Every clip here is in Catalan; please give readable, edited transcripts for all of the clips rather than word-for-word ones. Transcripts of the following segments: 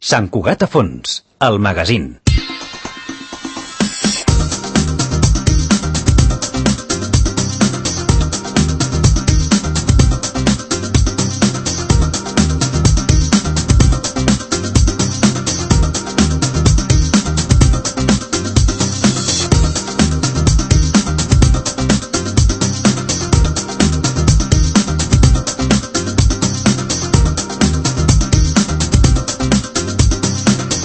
Sant Cugat a fons, el magazín.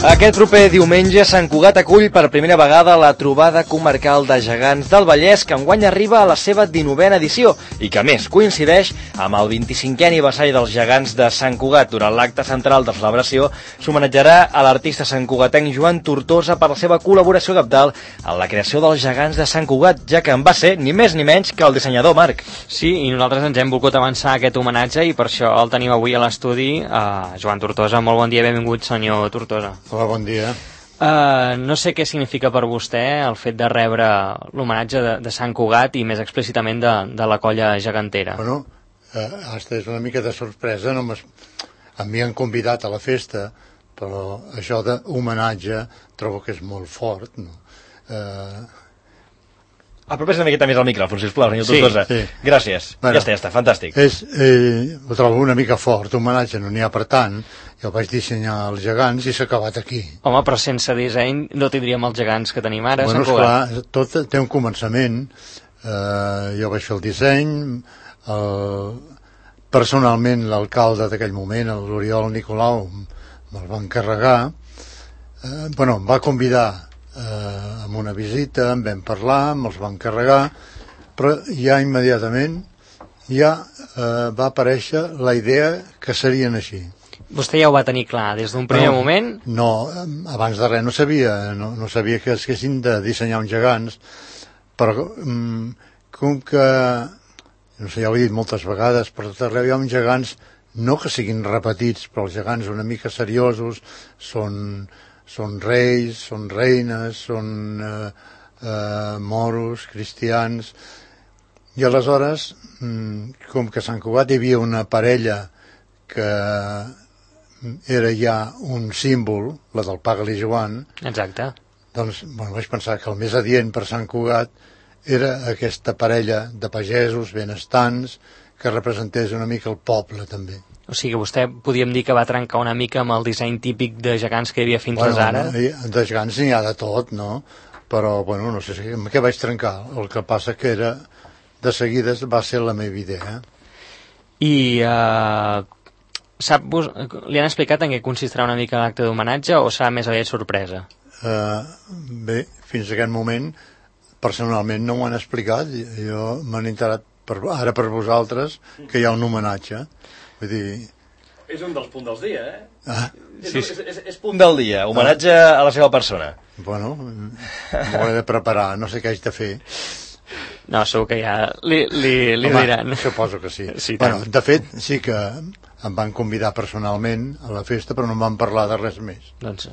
Aquest proper diumenge Sant Cugat acull per primera vegada la trobada comarcal de gegants del Vallès, que enguany arriba a la seva 19a edició i que a més coincideix amb el 25è aniversari dels gegants de Sant Cugat. Durant l'acte central de celebració s'homenatjarà a l'artista santcugatenc Joan Tortosa per la seva col·laboració cabdal en la creació dels gegants de Sant Cugat, ja que en va ser ni més ni menys que el dissenyador Marc. Sí, i nosaltres ens hem volgut avançar aquest homenatge i per això el tenim avui a l'estudi, Joan Tortosa. Molt bon dia, benvingut, senyor Tortosa. Hola, bon dia. No sé què significa per vostè el fet de rebre l'homenatge de Sant Cugat i més explícitament de la colla gegantera. Bueno, hasta és una mica de sorpresa, no m'havien convidat a la festa, però això d'homenatge trobo que és molt fort, no? Apropes una miqueta més al micròfon, sisplau, senyor Tortosa. Sí. Gràcies. Bueno, ja està, fantàstic. Ho trobo una mica fort, homenatge no n'hi ha per tant. Jo vaig dissenyar els gegants i s'ha acabat aquí. Home, però sense disseny no tindríem els gegants que tenim ara, bueno, Sant Cugat. Esclar, tot té un començament. Jo vaig fer el disseny, personalment l'alcalde d'aquell moment, l'Oriol Nicolau, me'l va encarregar. Em va convidar amb una visita, en vam parlar, me'ls va encarregar, però ja immediatament va aparèixer la idea que serien així. Vostè ja ho va tenir clar des d'un primer moment? No, abans de res no sabia que es haguessin de dissenyar uns gegants, però com que, no sé, ja ho he dit moltes vegades, per tot arreu hi ha uns gegants, no que siguin repetits, però els gegants una mica seriosos, són reis, són reines, són moros, cristians, i aleshores, com que a Sant Cugat hi havia una parella que era ja un símbol, la del Pagal i Joan. Exacte. Doncs vaig pensar que el més adient per Sant Cugat era aquesta parella de pagesos benestants que representés una mica el poble també. O sigui que vostè podíem dir que va trencar una mica amb el disseny típic de gegants que hi havia fins ara? De gegants n'hi ha de tot, no? Però, no sé amb què vaig trencar. El que passa que de seguida va ser la meva idea. I li han explicat en què consistirà una mica l'acte d'homenatge o serà més aviat sorpresa? Bé, fins a aquest moment personalment no m'ho han explicat. Jo m'han enterat ara per vosaltres que hi ha un homenatge. Vull dir... És un dels punts del dia, és punt del dia, homenatge a la seva persona. M'ho he de preparar, no sé què haig de fer. No, segur que ja li diran. Suposo que sí. Sí, de fet, sí que em van convidar personalment a la festa, però no em van parlar de res més. Doncs,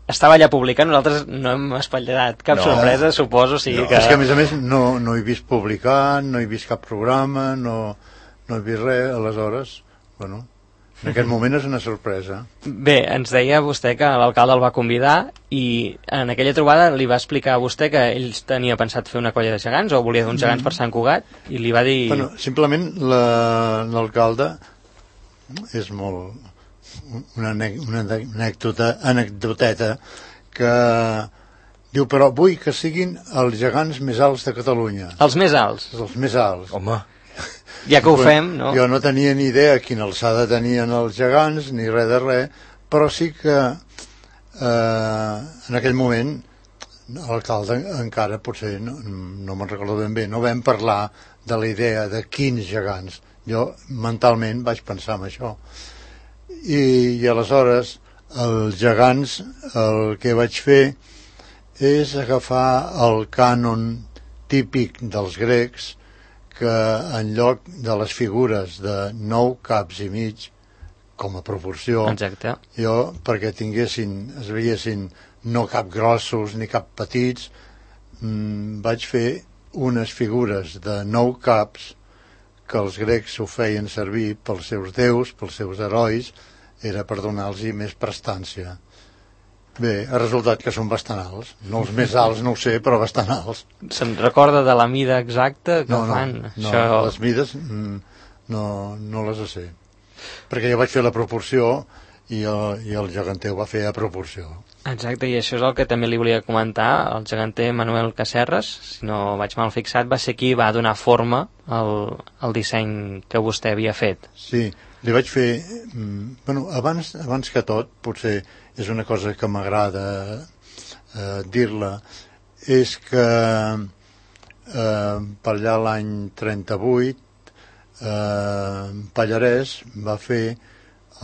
estava allà publicat, nosaltres no hem espatllat cap sorpresa, suposo. És que a més no he vist publicar, no he vist cap programa, no he vist res, aleshores, en aquest moment és una sorpresa. Bé, ens deia vostè que l'alcalde el va convidar i en aquella trobada li va explicar a vostè que ell tenia pensat fer una colla de gegants o volia uns gegants per Sant Cugat i li va dir... Simplement l'alcalde és molt... una anecdoteta que diu, però vull que siguin els gegants més alts de Catalunya. Els més alts? Els més alts. Home... Ja que ho fem, no? Jo no tenia ni idea quina alçada tenien els gegants, ni res de res, però sí que en aquell moment l'alcalde encara potser no me'n recordo ben bé, no vam parlar de la idea de quins gegants. Jo mentalment vaig pensar en això. I aleshores els gegants el que vaig fer és agafar el cànon típic dels grecs, que en lloc de les figures de 9 caps i mig com a proporció, exacte, jo perquè es veiessin no cap grossos ni cap petits, vaig fer unes figures de 9 caps que els grecs ho feien servir pels seus déus, pels seus herois, era per donar-los més prestància. Bé, ha resultat que són bastant alts. No els més alts, no ho sé, però bastant alts. Se'n recorda de la mida exacta que fan? No, les mides no les sé. Perquè jo vaig fer la proporció i el geganter ho va fer a proporció. Exacte, i això és el que també li volia comentar. El geganter Manuel Casserres, si no vaig mal fixat, va ser qui va donar forma al disseny que vostè havia fet. Sí, li vaig fer... Bueno, abans que tot, potser és una cosa que m'agrada dir-la, és que per allà l'any 38 Pallarès va fer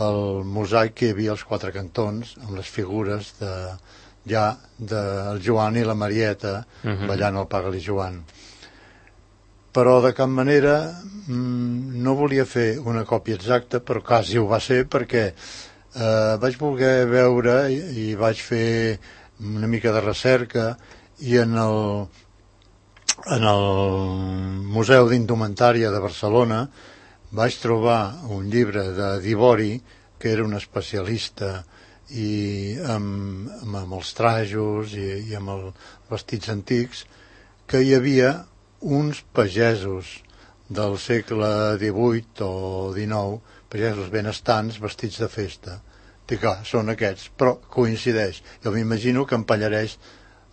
el mosaic que hi havia als Quatre Cantons amb les figures del Joan i la Marieta ballant el Paga-li Joan. Però de cap manera no volia fer una còpia exacta, però quasi ho va ser perquè vaig voler veure i vaig fer una mica de recerca i en el Museu d'Indumentària de Barcelona vaig trobar un llibre de Dibori, que era un especialista i amb els trajos i amb els vestits antics, que hi havia uns pagesos del segle XVIII o XIX, pagesos benestants vestits de festa. Dic, són aquests, però coincideix. Jo m'imagino que en Pallarès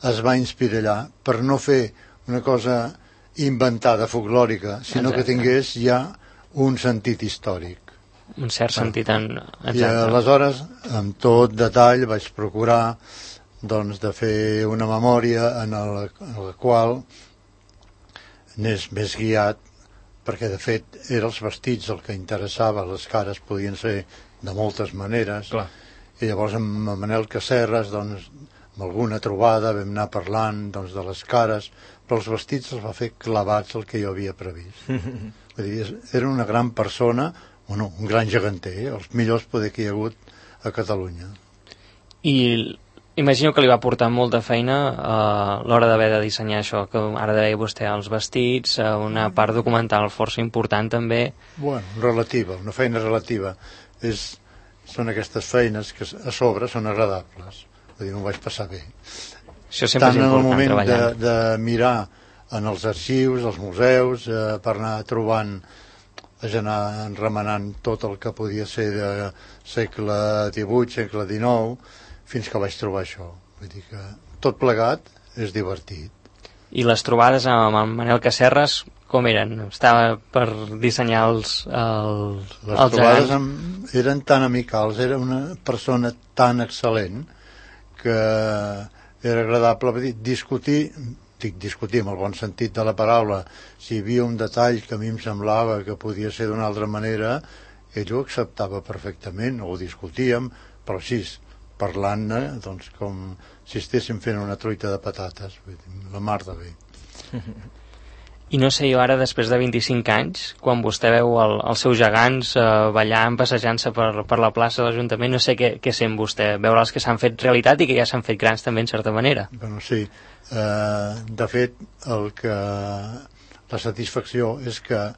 es va inspirar allà per no fer una cosa inventada, folclòrica, sinó que tingués ja un sentit històric. Un cert sentit exacte. I aleshores, amb tot detall, vaig procurar doncs, de fer una memòria en la qual anés més guiat, perquè de fet eren els vestits el que interessava, les cares podien ser de moltes maneres. Clar. I llavors amb Manel Casserres, doncs, amb alguna trobada vam anar parlant doncs, de les cares, però els vestits els va fer clavats el que jo havia previst. Vull dir, era una gran persona, bueno, un gran geganter, els millors poder que hi ha hagut a Catalunya. I imagino que li va portar molta feina a l'hora d'haver de dissenyar això, que ara deia vostè, els vestits, una part documental força important també. Bueno, relativa, una feina relativa. Són aquestes feines que a sobre són agradables. Vull dir, m'ho vaig passar bé. Això sempre és important, treballant. Tant en el moment de mirar en els arxius, als museus, per anar trobant, vaig anar remenant tot el que podia ser de segle XVIII, segle XIX, fins que vaig trobar això. Vull dir que tot plegat és divertit. I les trobades amb el Manel Casserres, com eren? Estava per dissenyar els trobades eren tan amicals, era una persona tan excel·lent que era agradable discutir amb el bon sentit de la paraula. Si hi havia un detall que a mi em semblava que podia ser d'una altra manera, ell ho acceptava perfectament, ho discutíem, però així, parlant-ne, doncs, com si estéssim fent una truita de patates, la mar de bé. I no sé, jo ara, després de 25 anys, quan vostè veu els seus gegants ballant, passejant-se per la plaça de l'Ajuntament, no sé què sent vostè, veure els que s'han fet realitat i que ja s'han fet grans també, en certa manera. Bueno, sí. De fet, la satisfacció és que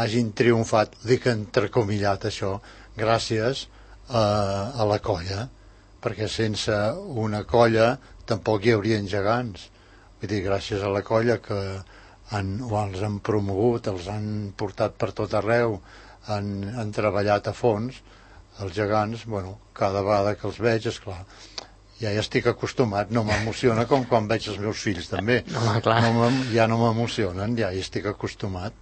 hagin triomfat, dic entrecomillat això, gràcies a la colla, perquè sense una colla tampoc hi haurien gegants. Vull dir, gràcies a la colla que els han promogut, els han portat per tot arreu, han treballat a fons, els gegants, bueno, cada vegada que els veig, esclar, ja hi estic acostumat, no m'emociona com quan veig els meus fills també. No, clar. Ja no m'emocionen, ja hi estic acostumat.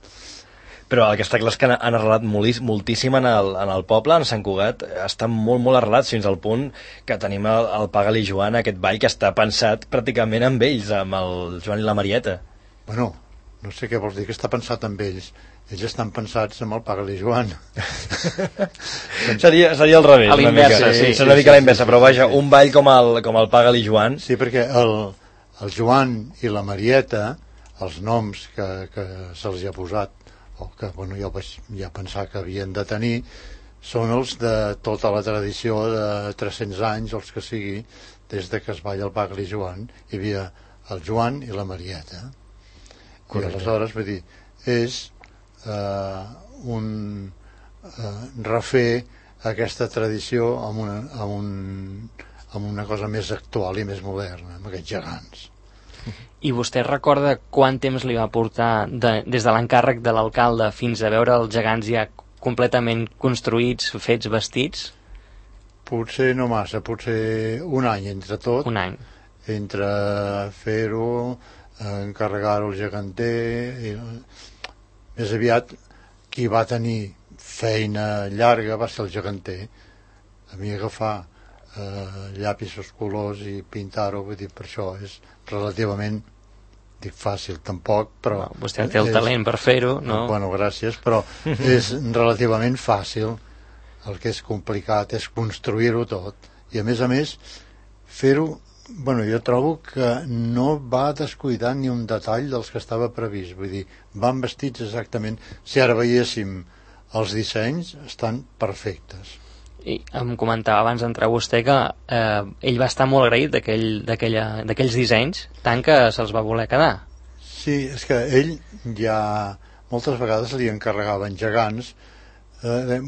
Però el que està clar és que han arrelat moltíssim en el poble, en Sant Cugat, estan molt arrelats fins al punt que tenim el Paga-li Joan, aquest ball que està pensat pràcticament amb ells, amb el Joan i la Marieta. Bueno, no sé què vols dir que està pensat amb ells. Ells estan pensats amb el Paga-li Joan. Seria al revés. A l'inversa, sí. Seria una mica a la inversa, però vaja, un ball com el Paga-li Joan. Sí, perquè el Joan i la Marieta, els noms que se'ls ha posat, o que bueno, jo vaig ja pensar que havien de tenir, són els de tota la tradició de 300 anys, els que sigui, des de que es balla el Paga-li Joan. Hi havia el Joan i la Marieta. Correcte. I aleshores, vull dir, és refer aquesta tradició amb una cosa més actual i més moderna, amb aquests gegants. I vostè recorda quant temps li va portar des de l'encàrrec de l'alcalde fins a veure els gegants ja completament construïts, fets, vestits? Potser no massa, potser un any entre tot. Un any. Entre fer-ho, encarregar-ho al geganter... Més aviat, qui va tenir feina llarga va ser el geganter. A mi agafar llapisos, colors i pintar-ho, vull dir, per això és relativament, dic fàcil tampoc, però... No, vostè té el talent per fer-ho, no? Bueno, gràcies, però és relativament fàcil. El que és complicat és construir-ho tot. I a més, fer-ho... Bueno, jo trobo que no va descuidar ni un detall dels que estava previst. Vull dir, van vestits exactament... Si ara veiéssim els dissenys, estan perfectes. I em comentava abans d'entrar vostè que ell va estar molt agraït d'aquells dissenys, tant que se'ls va voler quedar. Sí, és que ell ja moltes vegades li encarregaven gegants,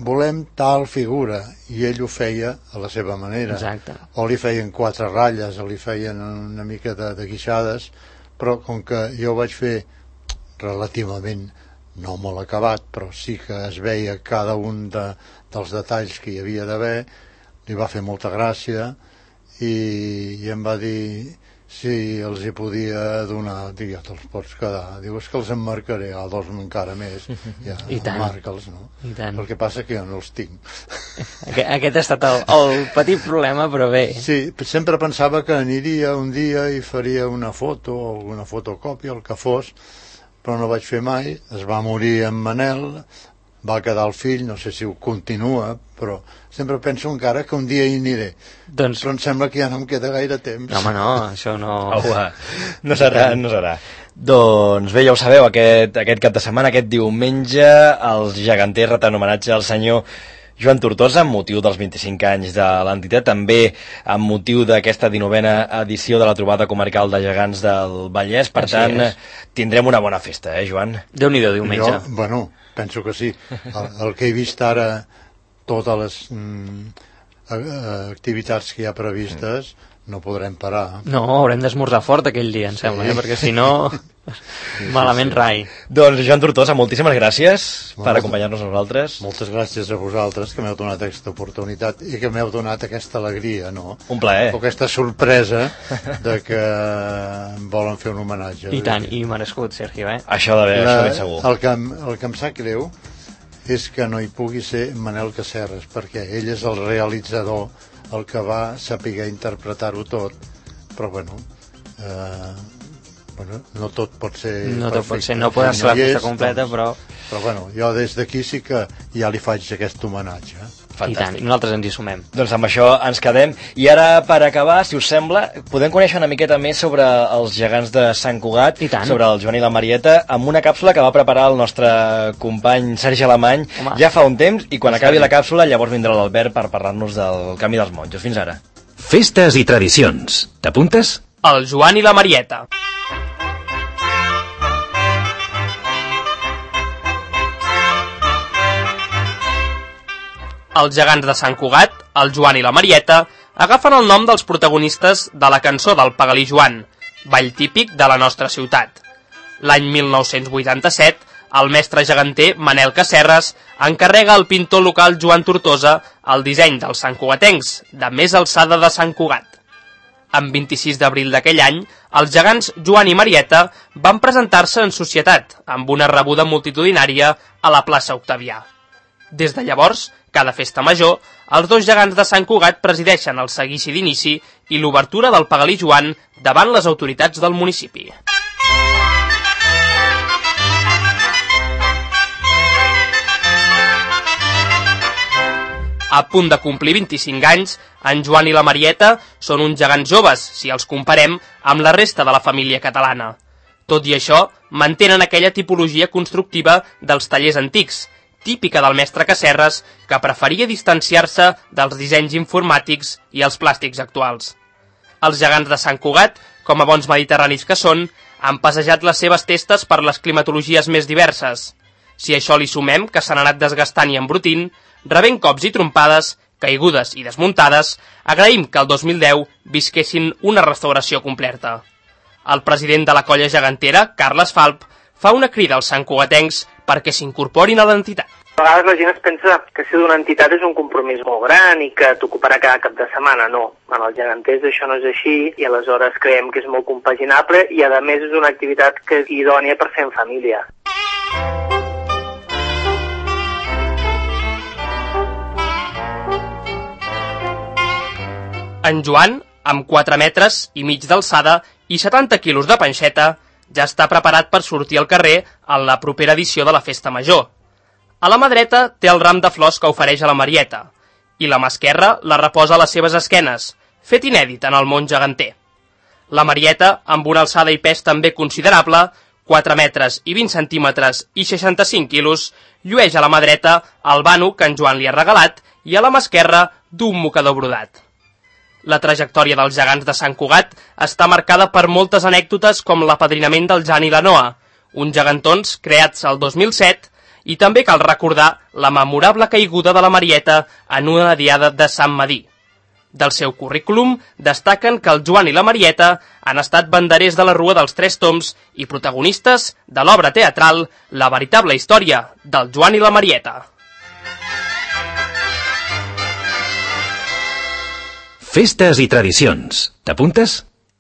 volem tal figura, i ell ho feia a la seva manera. Exacte. O li feien 4 ratlles, o li feien una mica de guixades, però com que jo ho vaig fer relativament no molt acabat, però sí que es veia cada un dels detalls que hi havia d'haver, li va fer molta gràcia i em va dir si els hi podia donar. Dic, ja te'ls pots quedar. Diu, és que els emmarcaré, a 2 encara més. Ja, I tant. Marca'ls, no? I tant. El que passa que jo no els tinc. Aquest ha estat el petit problema, però bé. Sí, sempre pensava que aniria un dia i faria una foto o alguna fotocòpia, el que fos, però no vaig fer mai. Es va morir en Manel, va quedar el fill, no sé si ho continua, però sempre penso encara que un dia hi aniré. Doncs... Però em sembla que ja no em queda gaire temps. No, home, no, això no... No serà. Doncs bé, ja ho sabeu, aquest cap de setmana, aquest diumenge, els geganters reten homenatge al senyor Joan Tortosa, amb motiu dels 25 anys de l'entitat, també amb motiu d'aquesta 19a edició de la trobada comarcal de gegants del Vallès. Per tant, tindrem una bona festa, Joan? Déu-n'hi-do, diumenge. Jo, bueno, penso que sí. El que he vist ara, totes les activitats que hi ha previstes, no podrem parar. No, haurem d'esmorzar fort aquell dia, em sembla, perquè si no, malament rai. Doncs, Joan Tortosa, moltíssimes gràcies per acompanyar-nos a nosaltres. Moltes gràcies a vosaltres, que m'heu donat aquesta oportunitat i que m'heu donat aquesta alegria, no? Un plaer. O aquesta sorpresa de que em volen fer un homenatge. I tant, i merescut, Sergio, eh? Això de ben segur. El que em sap greu és que no hi pugui ser Manel Casserres, perquè ell és el realitzador, el que va saber interpretar-ho tot, però bueno, no tot pot ser no tot pot ser, no podrà ser la festa completa, doncs, però bueno, jo des d'aquí sí que ja li faig aquest homenatge. Fantàstic. I tant, i nosaltres ens hi sumem. Doncs amb això ens quedem. I ara, per acabar, si us sembla, podem conèixer una miqueta més sobre els gegants de Sant Cugat, sobre el Joan i la Marieta, amb una càpsula que va preparar el nostre company Sergi Alemany ja fa un temps, i quan acabi la càpsula llavors vindrà l'Albert per parlar-nos del canvi dels monjos. Fins ara. Festes i tradicions. T'apuntes? El Joan i la Marieta. Els gegants de Sant Cugat, el Joan i la Marieta, agafen el nom dels protagonistes de la cançó del Pagalí Joan, ball típic de la nostra ciutat. L'any 1987, el mestre geganter Manel Casserres encarrega al pintor local Joan Tortosa el disseny dels santcugatencs de més alçada de Sant Cugat. En 26 d'abril d'aquell any, els gegants Joan i Marieta van presentar-se en societat, amb una rebuda multitudinària a la plaça Octavià. Des de llavors, cada festa major, els dos gegants de Sant Cugat presideixen el seguici d'inici i l'obertura del Pagalí Joan davant les autoritats del municipi. A punt de complir 25 anys, en Joan i la Marieta són uns gegants joves, si els comparem amb la resta de la família catalana. Tot i això, mantenen aquella tipologia constructiva dels tallers antics, típica del mestre Casserres, que preferia distanciar-se dels dissenys informàtics i els plàstics actuals. Els gegants de Sant Cugat, com a bons mediterranis que són, han passejat les seves testes per les climatologies més diverses. Si a això li sumem que s'han anat desgastant i embrutint, rebent cops i trompades, caigudes i desmuntades, agraïm que el 2010 visquessin una restauració completa. El president de la colla gegantera, Carles Falp, fa una crida als santcugatencs perquè s'incorporin a l'entitat. A vegades la gent es pensa que ser d'una entitat és un compromís molt gran i que t'ocuparà cada cap de setmana. No, en els geganters això no és així i aleshores creiem que és molt compaginable i a més és una activitat que és idònia per fer en família. En Joan, amb 4 metres i mig d'alçada i 70 quilos de panxeta, ja està preparat per sortir al carrer en la propera edició de la Festa Major. A la mà dreta té el ram de flors que ofereix a la Marieta, i la mà esquerra la reposa a les seves esquenes, fet inèdit en el món geganter. La Marieta, amb una alçada i pes també considerable, 4 metres i 20 centímetres i 65 quilos, llueix a la mà dreta el vano que en Joan li ha regalat i a la mà esquerra d'un mocador brodat. La trajectòria dels gegants de Sant Cugat està marcada per moltes anècdotes com l'apadrinament del Jan i la Noa, uns gegantons creats el 2007, i també cal recordar la memorable caiguda de la Marieta en una diada de Sant Madí. Del seu currículum destaquen que el Joan i la Marieta han estat banderers de la Rua dels Tres Tombs i protagonistes de l'obra teatral La veritable història del Joan i la Marieta. Festes i tradicions. T'apuntes?